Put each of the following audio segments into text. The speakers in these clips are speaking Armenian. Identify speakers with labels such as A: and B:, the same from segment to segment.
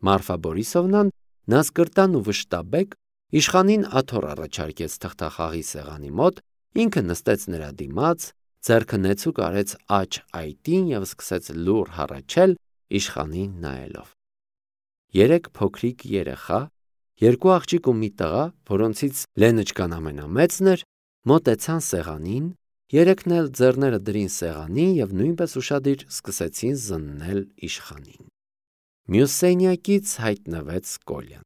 A: Մարֆա Բորիսովնան նասկրտան ու վշտաբեկ իշխանին աթոռ առաջարկեց թղթախաղի սեղանի մոտ, ինքը նստեց նրա դիմաց, ձեռքը նեցուկ արեց աջ այտին և սկսեց լուռ հառաչել իշխանին նայելով։ Երեք փոքրիկ երեխա, երկու աղջիկ ու մի տղա, որոնցից Լենочկան ամենամեծն էր, մոտեցան սեղանին, երեքն էլ ձեռները դրին սեղանին և նույնպես ուշադիր սկսեցին զննել իշխանին։ Մյուս սենյակից հայտնվեց Կոլյան։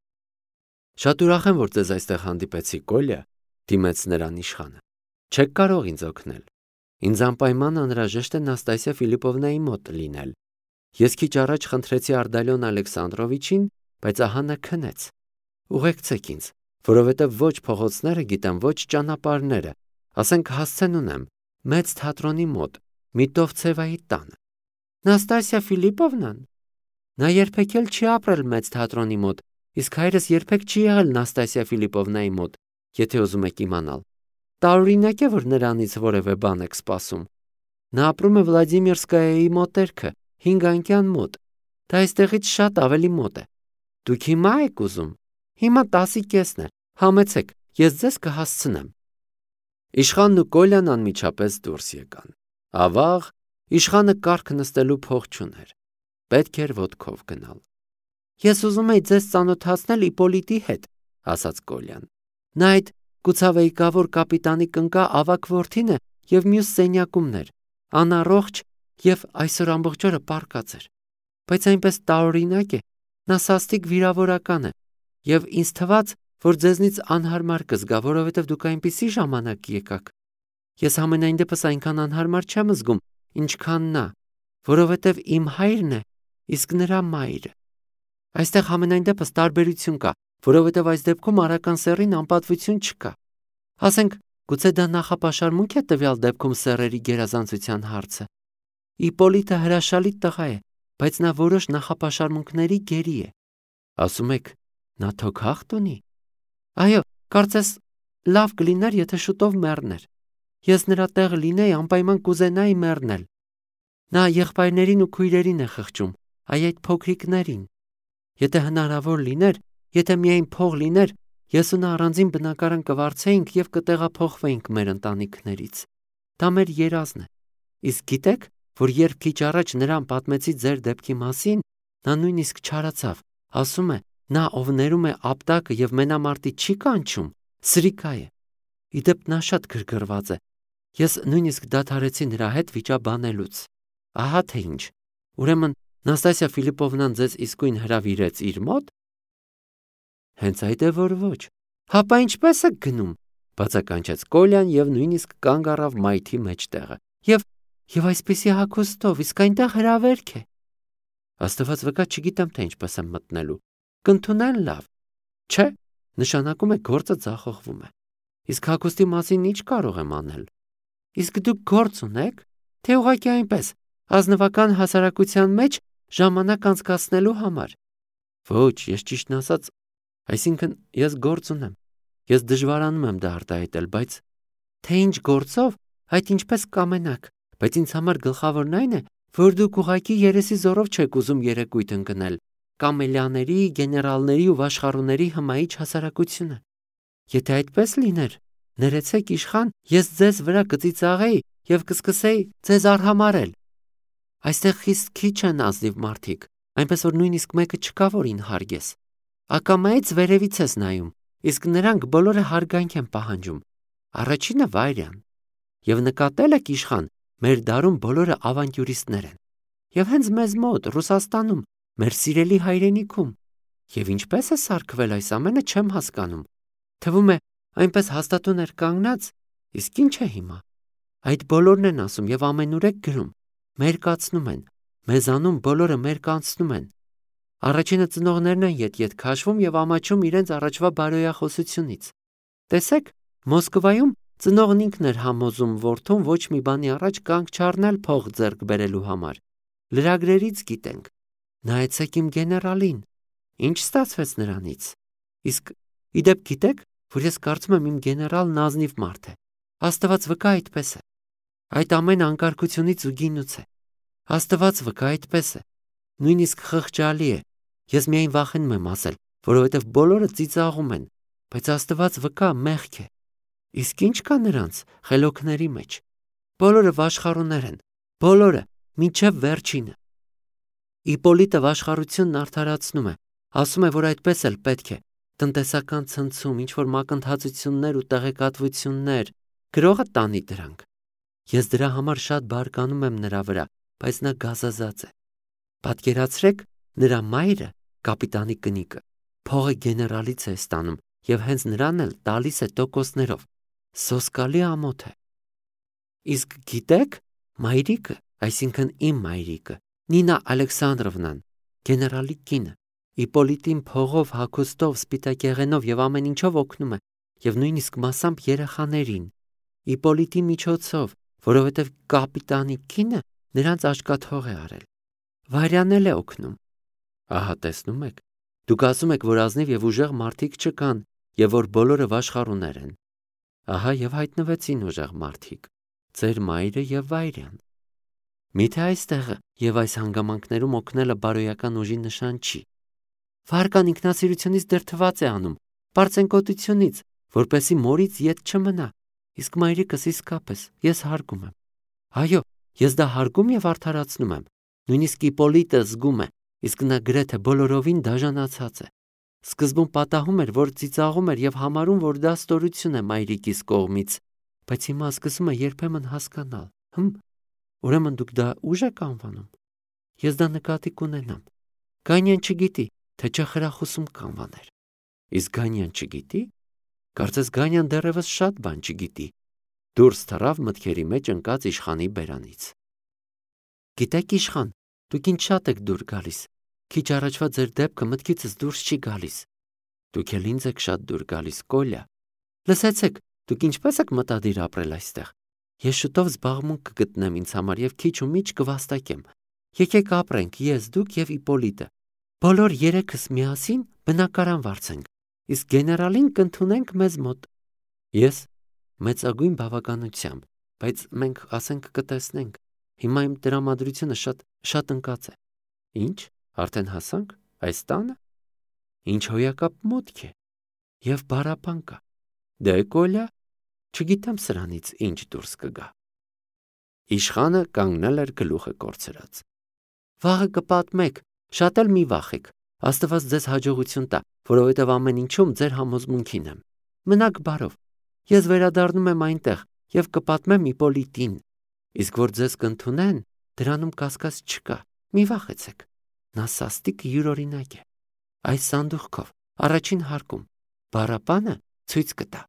A: Շատ ուրախ եմ, որ ձեզ այստեղ հանդիպեցի, Կոլյա, դիմեց նրան իշխանը։ Չեք կարող ինձ օգնել։ Ինձ անպայման անհրաժեշտ է Նաստասիա Ֆիլիպովնայի մոտ լինել։ Ես քիչ առաջ խնդրեցի Ардալիոն Ալեքսանդրովիչին, բայց ահա նա քնեց։ Ուղեկցեք ինձ, որովհետև ոչ փողոցները գիտեմ, ոչ ճանապարհները, ասենք հասցեն ունեմ մեծ թատրոնի մոտ, Միտովցևայի տանը։ Նաստասիա Ֆիլիպովնան։ Նա երբեք էլ չի ապրել մեծ թատրոնի մոտ, իսկ հայրս երբեք չի եղել Նաստասիա Ֆիլիպովնայի մոտ, եթե ուզում եք իմանալ։ Տարօրինակ է, որ նրանից որևէ բան եք սպասում։ Նա ապրում է Վլադիմիրսկայայի մոտերքը, 5 անկյան մոտ։ Դա այստեղից շատ ավելի մոտ է։ Դուք հիմա եք ուզում։ Հիմա 10:30 է։ Համեցեք, ես ձեզ կհասցնեմ։ Իշխանն ու Կոլյան անմիջապես դուրս եկան։ Ավաղ, իշխանը կառք նստելու փող չուներ։ Պետք էր ոտքով գնալ։ Ես ուզում էի ձեզ ծանոթացնել Իպոլիտի հետ, ասաց Կոլյան։ Նա այդ կուցավեյկավոր կապիտանի կնկա ավագ որդին է և մյուս սենյակումներ, անառողջ և այսօր ամբողջ օրը պառկած էր։ Բայց այնպես տարօրինակ է, նա սաստիկ վիրավորական է, և ինձ թվաց, որ ձեզնից անհարմար կզգա, որովհետև դուք այնպիսի ժամանակ եկաք։ Ես համենայն դեպս այնքան անհարմար չեմ զգում, ինչքան նա, որովհետև իմ հայրն է, իսկ նրա մայրը։ Այստեղ համենայն դեպս տարբերություն կա, որովհետև այս դեպքում արական սեռին անպատվություն չկա։ Ասենք, գուցե դա նախապաշարմունք է տվյալ դեպքում սեռերի գերազանցության հարցը։ Իպոլիտը հրաշալի տղա է, բայց նա որոշ նախապաշարմունքների գերի է։ Ասում եք, նա թոքախտ ունի։ Այո, կարծես լավ կլիներ, եթե շուտով մեռներ։ Ես նրա տեղը լինեի, անպայման կուզենայի մեռնել։ Նա եղբայրներին ու քույրերին է խղճում, այ այդ փոքրիկներին։ Եթե հնարավոր լիներ, եթե միայն փող լիներ, ես ու նա առանձին բնակարան կվարձեինք և կտեղափոխվեինք մեր ընտանիքներից։ Դա մեր երազն է։ Իսկ գիտեք, որ երբ քիչ առաջ նրան պատմեցի ձեր դեպքի մասին, նա նույնիսկ չարացավ, ասում է, նա ով ներում է ապտակը և մենամարտի չի կանչում, սրիկա է։ Իդեպ նա շատ գրգռված է։ Ես նույնիսկ դադարեցի նրա հետ վիճաբանելուց։ Ահա թե ինչ։ Ուրեմն Նաստասիա Ֆիլիպովնան ձեզ իսկույն հրավիրեց իր մոտ։ Հենց այդ է, որ ոչ։ Հապա ինչպես եք գնում, բացականչեց Կոլյան և նույնիսկ կանգ առավ մայթի մեջտեղը։ Եվ այսպիսի հագուստով, իսկ այնտեղ հրավերք է։ Աստված վկա, չգիտեմ, թե ինչպես եմ մտնելու։ Կընդունեն լավ։ Չէ, նշանակում է գործը ձախողվում է։ Իսկ հագուստի մասին ինչ կարող եմ անել։ Իսկ դուք գործ ունեք, թե ուղղակի այնպես, ազնվական հասարակության մեջ ժամանակ անցկացնելու համար։ Ոչ, ես ճիշտն ասած, այսինքն ես գործ ունեմ։ Ես դժվարանում եմ դա արտահայտել, բայց թե ինչ գործով, այդ ինչպես կամենաք, բայց ինձ համար գլխավորն այն է, որ դուք ուղղակի երեսի զորով չեք ուզում երեկույթ ընկնել, կամելիաների, գեներալների ու վաշխառուների հմայիչ հասարակությունը։ Եթե այդպես լիներ, ներեցեք իշխան, ես ձեզ վրա կծիծաղեի և կսկսեի ձեզ արհամարհել։ Այստեղ խիստ քիչ են ազնիվ մարդիկ, այնպես որ նույնիսկ մեկը չկա, որին հարգես։ Ակամայից վերևից ես նայում, իսկ նրանք բոլորը հարգանք են պահանջում։ Առաջինը Վայրյան։ Եվ նկատել եք իշխան, մեր դարում բոլորը ավանտյուրիստներ են։ Եվ հենց մեզ մոտ, Ռուսաստանում, մեր սիրելի հայրենիքում։ Եվ ինչպես է սարքվել այս ամենը, չեմ հասկանում։ Թվում է, այնպես հաստատուն էր կանգնած, իսկ ինչ է հիմա։ Այդ բոլորն են ասում և ամենուրեք գրում, մերկացնում են, մեզանում բոլորը մերկանցնում են։ Առաջինը ծնողներն են ետ քաշվում և ամաչում իրենց առաջվա բարոյախոսությունից։ Տեսեք, Մոսկվայում ծնողն ինքն էր համոզում որդուն ոչ մի բանի առաջ կանգ չառնել փող ձեռք բերելու համար։ Լրագրերից գիտենք։ Նայեցեք իմ գեներալին։ Ինչ ստացվեց նրանից։ Իսկ իդեպ գիտեք, որ ես կարծում եմ իմ գեներալն ազնիվ մարդ է։ Աստված վկա այդպես է։ Այդ ամեն անկարգությունից ու գինուց է։ Աստված վկա այդպես է։ Նույնիսկ խղճալի է, Ես միայն վախենում եմ ասել, որովհետև բոլորը ծիծաղում են, բայց Աստված վկա մեղք է։ Իսկ ինչ կա նրանց խելոքների մեջ։ Բոլորը վաշխառուներ են, բոլորը, մինչև վերջինը։ Իպոլիտը վաշխառությունն արդարացնում է, ասում է, որ այդպես էլ պետք է։ Տնտեսական ցնցում, ինչ-որ մակընթացություններ ու տեղեկատվություններ, գրողը տանի դրանք։ Ես դրա համար շատ բարկանում եմ նրա վրա, բայց նա գազազած է։ Պատկերացրեք, նրա մայրը, կապիտանի կնիկը, փողը գեներալից է ստանում և հենց նրան էլ տալիս է տոկոսներով։ Սոսկալի ամոթ է։ Իսկ գիտեք, մայրիկը, այսինքն իմ մայրիկը, Նինա Ալեքսանդրովնան, գեներալի կինը, Իպոլիտին փողով, հագուստով, սպիտակեղենով և ամեն ինչով օգնում է, և նույնիսկ մասամբ երեխաներին, Իպոլիտի միջոցով, որովհետև կապիտանի կինը նրանց աչքաթող է արել։ Վարյանել է օգնում։ Ահա տեսնում եք, դուք ասում եք, որ ազնիվ և ուժեղ մարդիկ չկան, և որ բոլորը վաշխառուներ են։ Ահա և հայտնվեցին ուժեղ մարդիկ, ձեր մայրը և Վայրյան։ Միթե այստեղը և այս հանգամանքներում օգնելը բարոյական ուժի նշան չի։ Վարկան ինքնասիրությունից դրդված է անում, պարծենկոտությունից, որպեսզի մորից ետ չմնա, իսկ մայրիկս իսկապես ես հարգում եմ։ Այո, ես դա հարգում և արդարացնում եմ, նույնիսկ Իպոլիտը զգում է, իսկ նա գրեթե բոլորովին դաժանացած է։ Սկզբում պատահում էր, որ ծիծաղում էր և համարում, որ դա ստորություն է մայրիկիս կողմից, բայց հիմա սկսում է երբեմն հասկանալ։ Ուրեմն դուք դա ուժ եք անվանում։ Ես դա նկատի կունենամ։ Գանյան չգիտի, թե չխրախուսում կանվաներ։ Իսկ Գանյան չգիտի։ Կարծես Գանյան դեռևս շատ բան չգիտի։ Դուրս թռավ մտքերի մեջ ընկած իշխանի բերանից։ Գիտեք, իշխան, դուք ինչ շատ եք դուր գալիս։ Քիչ առաջվա ձեր դեպքը մտքիցս դուրս չի գալիս։ Դուք էլ ինձ եք շատ դուր գալիս, Կոլյա։ Լսեցեք, դուք ինչպես եք մտադիր ապրել այստեղ։ Ես շուտով զբաղմունք կգտնեմ ինձ համար և քիչ ու միչ կվաստակեմ։ Եկեք ապրենք ես, դուք և Իպոլիտը։ Բոլոր երեքս միասին բնակարան վարձենք, իսկ գեներալին կընդունենք մեզ մոտ։ Ես մեծագույն բավականությամբ, բայց մենք ասենք կտեսնենք։ Հիմա իմ տրամադրությունը շատ ընկած է։ Ինչ, արդեն հասանք այս տանը։ Ինչ հոյակապ մոտք է։ Եվ բառապան կա։ Դե Կոլյա, չգիտեմ սրանից ինչ դուրս կգա։ Իշխանը կանգնել էր գլուխը կորցրած։ Վաղը կպատմեք, շատ էլ մի վախեք։ Աստված ձեզ հաջողություն տա, որովհետև ամեն ինչում ձեր համոզմունքին եմ։ Մնաք բարով։ Ես վերադառնում եմ այնտեղ և կպատմեմ Իպոլիտին։ Իսկ որ ձեզ կընդունեն, դրանում կասկած չկա։ Մի վախեցեք։ Նա սաստիկ յուրօրինակ է։ Այս սանդուղքով, առաջին հարկում, բառապանը ցույց կտա։